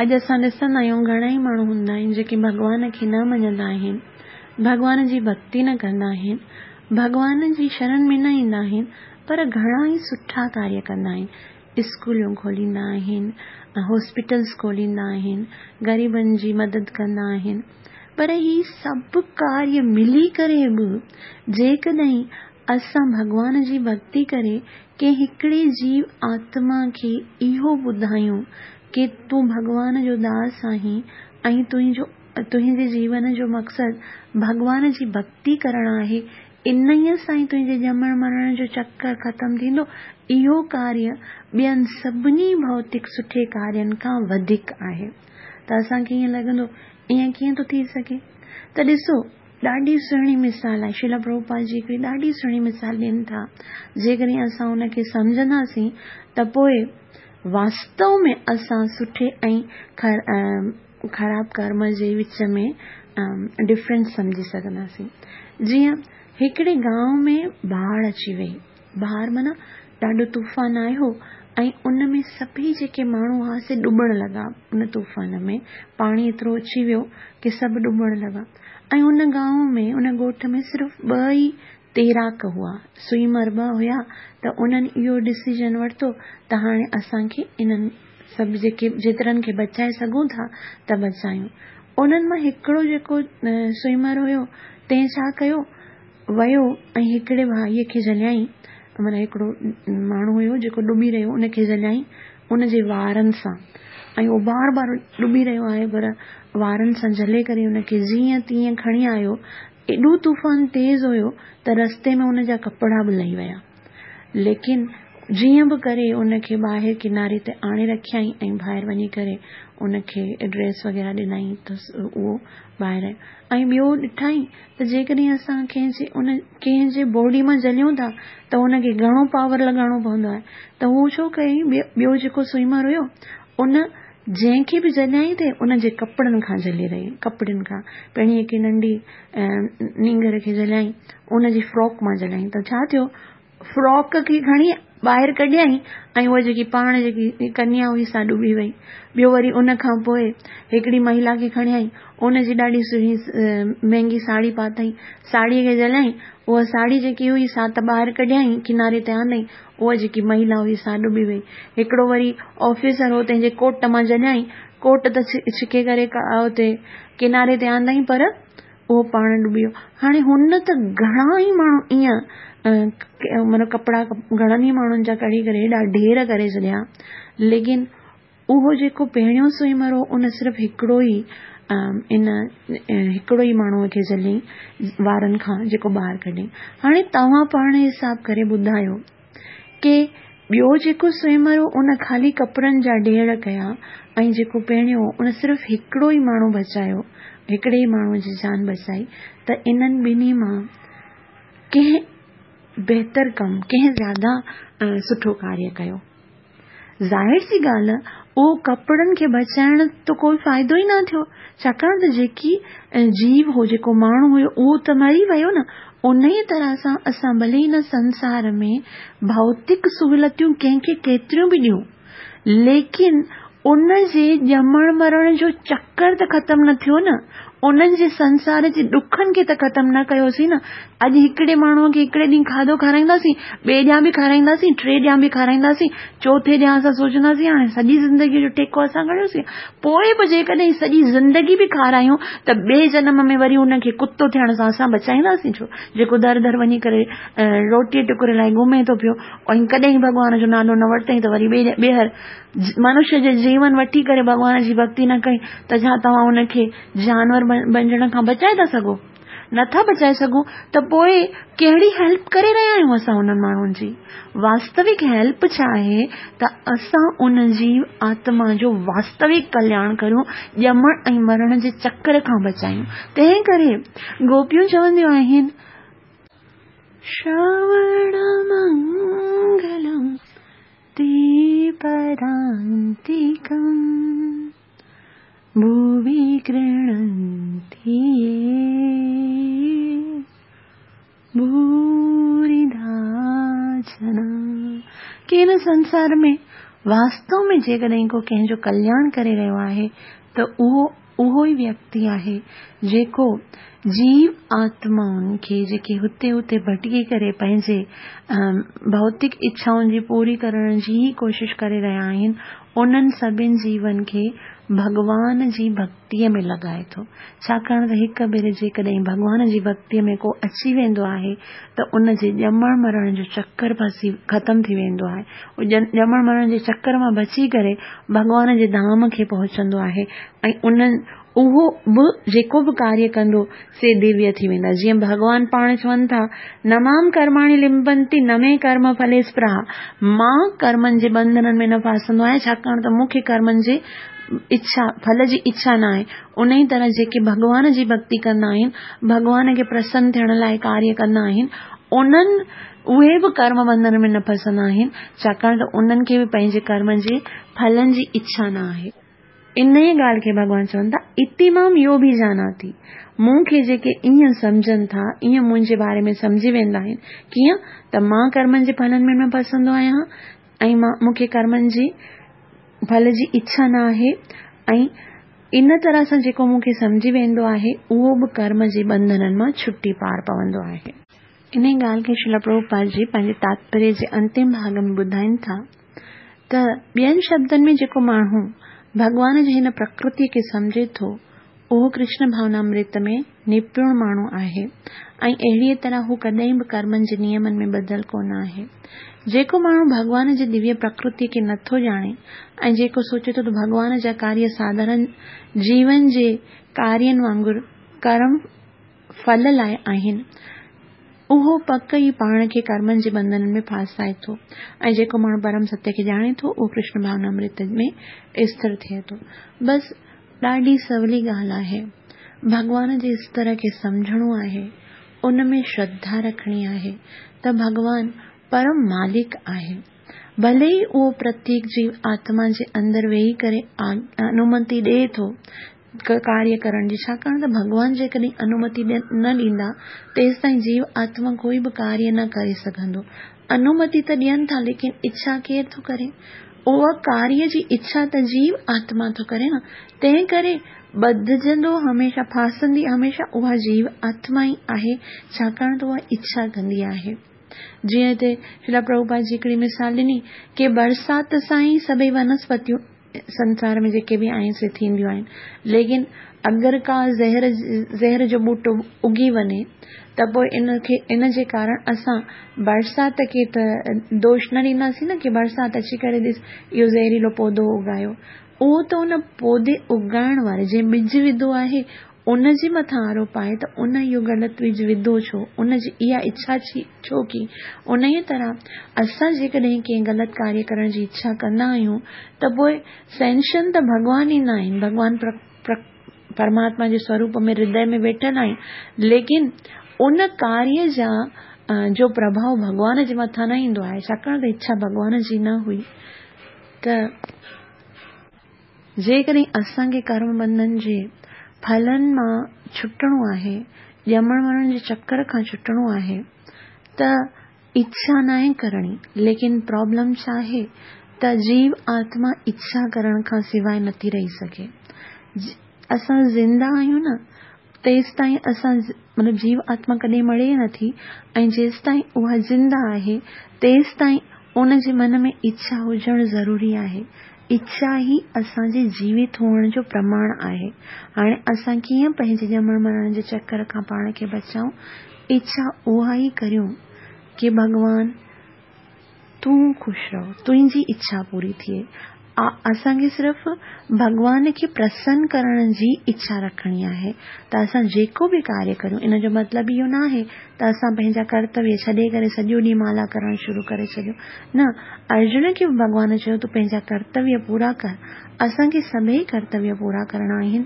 [SPEAKER 1] اڄ اسان ڏسندا آهيون گهڻا ئي ماڻهو هوندا آهن جيڪي ڀڳوان کي نه مڃندا آهن، ڀڳوان جي ڀڪتي نه ڪندا آهن، ڀڳوان جي شرڻ ۾ نه ايندا آهن، پر گهڻا ئي سٺا ڪاريه ڪندا آهن. اسڪولون کوليندا آهن، هاسپيٽلس کوليندا آهن، غريبن جي مدد ڪندا آهن، پر هي سڀ ڪاريه ملي ڪري به جيڪڏهن اسان ڀڳوان جي ڀڪتي ڪري ڪنهن هڪڙي جيو آتما کي اهو ٻڌايون ڪه تون ڀڳوان جو داس آهين ۽ تنهنجو تنهنجي جيون جو مقصد ڀڳوان جي ڀڪتي ڪرڻ آهي، انهيءَ سان ئي تنهنجي ڄمڻ مرڻ جو چڪر ختم ٿيندو، اهو ڪاريه ٻين سڀني ڀوتڪ سٺي ڪارين کان وڌيڪ آهي. ته اسان کي ائين لڳندو ائين ڪيئن ٿو ٿي سگهي؟ ته ڏسو ڏاڍي سهڻي مثال آهي، شريل پرڀوپاد جي هڪڙي ڏاڍي سهڻي مثال ڏين ٿا. جيڪڏهن اسان ان کي سمجهنداسين ته پوءِ واستو ۾ اسان سٺي ۽ خراب ڪرم جي وچ ۾ ڊفرنس سمجهي سگهنداسين. جيئن هڪڙي گانو ۾ باڙهه اچي وئي، باڙهه معنيٰ ڏاڍو طوفان آيو ۽ ان ۾ سڀئي جيڪي ماڻهو هئا سي ڏبڻ لڳا. ان طوفان ۾ پاڻي ايترو اچي ويو ڪه سڀ ڏبڻ لڳا. ۽ ان گانو ۾ ان ڳوٺ ۾ صرف ٻه ئي تيراڪ هئا، سوئمر ٻه هئا. ته انهن اهو ڊسيزن ورتو ته هاڻي اسان کي انهن سڀ جيڪي جيترن کي بچائي سگهون ٿا ته بچايون. انهن مان هڪڙو جيڪو سوئمر هيو تنهن ڇا ڪيو، ويو ۽ هڪڙي ڀائيءَ کي جهليائين، معنيٰ هڪڙو ماڻهو هيو جيڪو ڏبي رهيو ان کي جهليائين ان جي وارن سان، ۽ اهو بار بار ڏبي رهيو آهي پر وارن سان جهلي ڪري ان کي جيئن تيئن کڻي آيو. ايڏو طوفان تيز هيو ته رستي ۾ ان جا ڪپڙا به لهي ويا، ليڪن جيئن به ڪري ان کي ٻاهر ڪناري تي آڻي رکيائين ۽ ٻاهر وڃي ڪري ان کي ڊريس وغيره ڏنائين ته اهو ٻاهر آيو. ۽ ٻيو ڏٺائين ته جيڪڏهن اسان ڪنهن جي ان ڪنهن جي باڊي مان جهليون ٿا ته ان کي گهڻو پاور لڳائڻو پوندو آهي. ته هو ڇو ڪيائين، ٻيو جيڪو سوئمر هيو ان جنهن کي به جهليائين ٿي ان جي ڪپڙن کان جهلي رهي، ڪپڙن کان پهرين هڪ ننڍي نينگر کي جهليائين، ان جي فراڪ مان جهليائين ته ڇا ٿيو، فراڪ کي کڻي ٻاهر ڪڍيائين ۽ اها جيڪي پاڻ جيڪي ڪنيا هئي سا ڏبي وئي. ٻيو وري ان کان پوءِ هڪڙي مهلا کي کڻيائين، ان جي ڏاڍي سهڻي مهنگي ساڙهي پاتائين، ساڙهيءَ کي جهليائين، اها ساڙهي جيڪي هئي سا ته ٻاهر ڪڍيائين، ڪناري تي آندائين، اها جيڪي مهلا هئي سا ڏبي وئي. هڪڙو وري آفيسر هو، تنهن جي ڪوٽ مان جهليائين، ڪوٽ ته ڇڪي ڪري اتي ڪناري تي آندائين، پر اهو پاڻ ڏبي ويو. هاڻي هن ته گهڻا ئي ماڻهو ائين معنيٰ ڪپڙا گهڻن ئي ماڻهن جا ڪڍي ڪري هيڏا ڍير ڪري ڇڏيا، ليڪن اهو جيڪو پهريون سوئمر هو ان صرف هڪڙو ئي ان هڪڙو ئي ماڻهوءَ کي جهليائين وارن کان، جيڪو ٻاهر ڪڍيائين. هاڻي توهان پاڻ حساب ڪري ٻڌايو ڪه ٻيو جيڪو سوئمر هو ان خالي ڪپڙن جا ڍير ڪيا ۽ جيڪو پهريون هو ان صرف هڪڙو ئي ماڻهو بچايو، هڪڙي ئي ماڻهوءَ جي جان بچائي. ته انهن ٻنهي مان ڪنهن بهتر ڪم، ڪنهن زياده سٺو ڪاريه ڪيو؟ ظاهر سي ڳالهه اهو ڪپڙن کي بچائڻ ته ڪوئي فائدو ئي نه ٿيو، ڇاڪاڻ ته جيڪي جيو هو، جيڪو ماڻهو هيو، اهو ته مري ويو نه. ان ئي طرح سان اسان ڀلي هن سنسار ۾ ڀوتڪ سهولتيون ڪنهن کي ڪيتريون به ڏيون، ليڪن ان جي ڄمڻ مرڻ جو چڪر ته ختم نه ٿيو نه، انهن جي سنسار جي ڏکن کي ته ختم نه ڪيوسين نه. اڄ هڪڙي ماڻهوءَ کي هڪڙي ڏينهن کاڌو کارائينداسين، ٻئي ڏينهن به کارائينداسين، ٽي ڏينهن به کارائينداسين، چوٿي ڏينهن اسان سوچنداسين هاڻي سڄي زندگيءَ جو ٺيڪو اسان کڻيوسين. پوءِ به جيڪڏهن سڄي زندگي به کارايون ته ٻئي جنم ۾ وري ان کي ڪتو ٿيڻ سان اسان بچائينداسين ڇو؟ جيڪو در در وڃي ڪري روٽيءَ ٽڪر لاءِ گهمي ٿو پيو ۽ ڪڏهن ڀڳوان جو نالو نه ورتئين ته وري ٻئي ٻيهر منشيه جي جيون وٺي ڪري ڀڳوان جي ڀڪتي نه ڪئي ته ڇا توهان ان کي جانور بڻجڻ کان بچائي ٿا سگهو؟ نٿا بچائي سگهون. ته پوءِ ڪهڙي هيلپ ڪري رهيا آهيون اسان انهن ماڻهن جي؟ واستوڪ هيلپ ڇا آهي ته اسان ان جي آتما جو واستوڪ ڪلياڻ ڪريون، ڄمڻ ۽ مرڻ جي چڪر کان بچايون. تنهن ڪري گوپيون چونديون آهن، شروڻ منگلم تي پرانتڪم ڀووي گرهڻنتي ڀوريدا جنا. ڪه هن سنسار ۾ واستو ۾ جيڪڏهن ڪو ڪنهن جو ڪلياڻ ڪري رهيو آهي ته اهو اهو ئي ويڪتي آهي جيڪو جيو آتمائن کي جيڪي هتي هتي ڀٽڪي ڪري پنهنجي ڀوتڪ اڇائن جي پوري ڪرڻ جي ئي ڪوشش ڪري رهيا آهن، انهن سڀني جيون کي ڀڳوان جي ڀڪتيءَ ۾ لڳائي ٿو. ڇاڪاڻ ته هڪ ڀيري جيڪڏهن ڀڳوان جي ڀڪتيءَ ۾ ڪو اچي ويندو آهي ته ان جي ڄمڻ مرڻ جو چڪر ڦسي ختم ٿي ويندو آهي. اهو ڄمڻ مرڻ جي چڪر مان بچي ڪري ڀڳوان جي ڌام کي پهچندو آهي ۽ انهن اهو به جيڪو به ڪاريه ڪندو سي دويه ٿي ويندا. جيئن ڀڳوان پاڻ چون ٿا، نه مام ڪرماڻي لمبنتي نه مي ڪرم ڦلي سپرها. مان ڪرمن جي ٻنڌنن ۾ نه ڦاسندو آهيان، ڇاڪاڻ ته مون کي ڪرمن جي اڇا، ڦل جي اڇا نه آهي. ان ئي طرح جيڪي ڀڳوان جي ڀڪتي ڪندا آهن، ڀڳوان کي پرسن ٿيڻ لاءِ ڪاريه ڪندا آهن، انهن اهي به ڪرم ٻنڌن ۾ نه ڦسندا آهن، ڇاڪاڻ ته انهن کي به پنهنجي ڪرمن جي ڦلن جي اڇا نه آهي. ان ئي ڳالهه کي ڀڳوان چون ٿا، اتي مام يو به جاناتي. مون کي جيڪي ائين سمجهن ٿا، ائين منهنجي باري ۾ سمجهي ويندا آهن، ڪيئن ته مان ڪرمن جي ڦلن ۾ نه ڦسندو آهيان ۽ مان مون کي ڪرمن جي ڦل جي اڇا نه آهي، ۽ ان طرح سان جيڪو مون کي سمجهي ويندو آهي اهو به ڪرم جي ٻنڌنن مان ڇٽي پار پوندو آهي. ان ئي ڳالهه کي شريل پرڀوپاد جي پنهنجي تاتپريه جي انتم ڀاڳ ۾ ٻڌائين ٿا ته ٻين شبدن ۾ جيڪو ماڻهو ڀڳوان جي هن پرڪرتيءَ کي سمجهي ٿو اهو ڪرشن ڀاونامرت ۾ نپڻ ماڻهو آهي ۽ اهڙيءَ طرح هو ڪڏهن به ڪرمن جي نيمن ۾ ٻڌل ڪونه آهي. جيڪو ماڻهو ڀڳوان جي دويه پرڪرتيءَ کي نٿو ڄاڻي ۽ جيڪو سوچي ٿو ته ڀڳوان جا ڪاريه ساڌارڻ جيون جي ڪارين وانگر ڪرم ڦل لاءِ آهن، اهو پڪ ئي پاڻ کي ڪرمن جي ٻنڌنن ۾ ڦاسائي ٿو ۽ جيڪو ماڻهو پرم ستيه کي ڄاڻي ٿو اهو ڪرشن ڀاونا امرت ۾ اسٿر ٿئي ٿو. بس ڏاڍي سولي ڳالهه آهي. ڀڳوان جي استر کي سمجهڻو آهي، ان ۾ شرڌا رکڻي آهي ته ڀڳوان پرم مالڪ آهي. ڀلي ئي اهو پرتيڪ جيو آتما جي اندر ويهي ڪري انومتي ڏئي ٿو ڪاريه ڪرڻ جي، ڇاڪاڻ ته ڀڳوان جيڪڏهن انومتي نه ڏيندا تيستائين جيو آتما ڪوئي به ڪاريه نه ڪري سگهندو. انومتي ته ڏين ٿا ليڪن اڇا ڪير ٿو ڪري؟ اها ڪاريه جي اڇا ته جيو آتما ٿو ڪري نه، تنهن ڪري ٻڌجندو هميشه، ڦاسندي هميشه اها جيو آتما ئي آهي، ڇاڪاڻ ته اها اڇا ڪندي آهي. جيئن هتي شريلا پرڀوپاد جي هڪڙي مثال ڏني ڪي برسات سان ئي سڀئي ونسپتيون سنسار ۾ جيڪي به آهن سي ٿينديون آهن، ليڪن اگر ڪا زهر زهر جو ٻوٽو اگي وڃي ته پوء ان کي ان جي ڪارڻ اسان برسات کي ته دوش نه ڏينداسين نه ڪي برسات اچي ڪري ڏس اهو زهريلو پوڌو اگايو. اهو ته ان پوڌي اگائڻ واري جنهن ٻج وڌو آهي ان جي مٿان آروپ آهي ته ان اهو غلط ٻج وڌو ڇو، ان جي اها اڇا ڇو ڪئي. انهيء طرح اسان جيڪڏهن ڪنهن غلط ڪاريه ڪرڻ جي اڇا ڪندا آهيون ته پوء سينشن ته ڀڳوان ئي نه آهن، ڀڳوان پرماتما جي سوروپ ۾ هردي ۾ ويٺل آهن، ليڪن ان ڪاريه جا جو پرڀاء ڀڳوان جي مٿان نه ايندو آهي، ڇاڪاڻ ته اڇا ڀڳوان جي نه هئي. ته جيڪڏهن اسان کي ڪرم بنڌن جي ڦلن مان ڇٽڻو آهي، ڄمڻ مرڻ جي چڪر کان ڇٽڻو آهي ته اڇا ناهي ڪرڻي، ليڪن پرابلم ڇا آهي ته جيو آتما اڇا ڪرڻ کان سواء نٿي رهي سگهي. اسان زنده آهيون نه تيستائين اسان مطلب جيو آتما ڪڏهن مڙي نٿي ۽ جيستائين اها زنده آهي تيستائين ان جي من ۾ اڇا هجڻ ضروري آهي. اڇا ئي اسان جي جيوت هئڻ جو پرماڻ آهي. هاڻي اسان ڪيئن پنهنجي ڄمڻ مرڻ جي چڪر کان پاڻ کي بچائون؟ اڇا اها ئي ڪريون ڪي ڀڳوان تون خوش رهو، تنهنجي اڇا پوري ٿئي. اسان کي صرف ڀڳوان کي پرسن ڪرڻ جي اڇا رکڻي آهي ته اسان جيڪو به ڪاريه ڪريون، ان جو مطلب اهو نه آهي ته اسان پنهنجا ڪرتويه ڇڏي ڪري سڄو ڏينهن مالا ڪرڻ شروع ڪري ڇڏيون. نه، ارجن کي به ڀڳوان چيو تون پنهنجا ڪرتويه پورا ڪر. اسان کي سڀئي ڪرتويه پورا ڪرڻا آهن،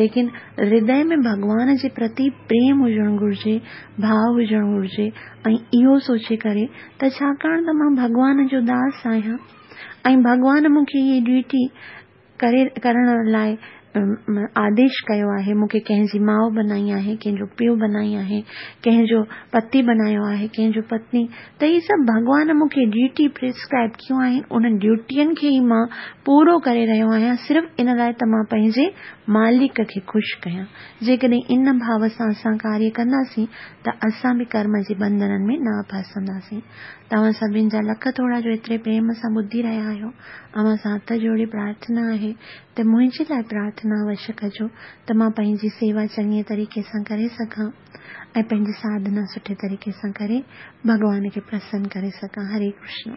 [SPEAKER 1] ليڪن هردي ۾ ڀڳوان جي پرتي پريم هجڻ گهرجي، ڀاءُ هجڻ گهرجي ۽ اهو سوچي ڪري ته ڇاڪاڻ ته مان ڀڳوان جو داس آهيان ۽ ڀڳوان مون کي هيء ڊيوٽي ڪري ڪرڻ لاءِ آديش ڪيو آهي، مون کي ڪنهن جي ماءُ بنائي آهي، ڪنهن جو پيءُ بنائي آهي، ڪنهن جو پتي بنايو آهي، ڪنهن جو پتني، ته هي سڀ ڀڳوان مون کي ڊيوٽي پرسڪرائب ڪيون آهن، انهن ڊيوٽين کي ئي مان پورو ڪري رهيو آهيان صرف ان لاءِ ته مان پنهنجي مالڪ کي خوش ڪيان. جيڪڏهن ان ڀاو سان اسان ڪاريه ڪنداسين ته اسان به ڪرم جي ٻنڌنن ۾ نه ڦاسنداسين. توهان سڀني جا لک ٿورا جو ايتري پريم سان ٻڌي رهيا آهيو. اوهان سان هٿ جوڙي پرارٿنا آهي ته منهنجي لاءِ پرارٿنا اوشيه ڪجو ته مان پنهنجي سيوا چڱي طريقي سان ڪري سگهان ۽ پنهنجي ساڌنا سٺي طريقي سان ڪري ڀڳوان کي پرسن ڪري سگهان. هري ڪرشن.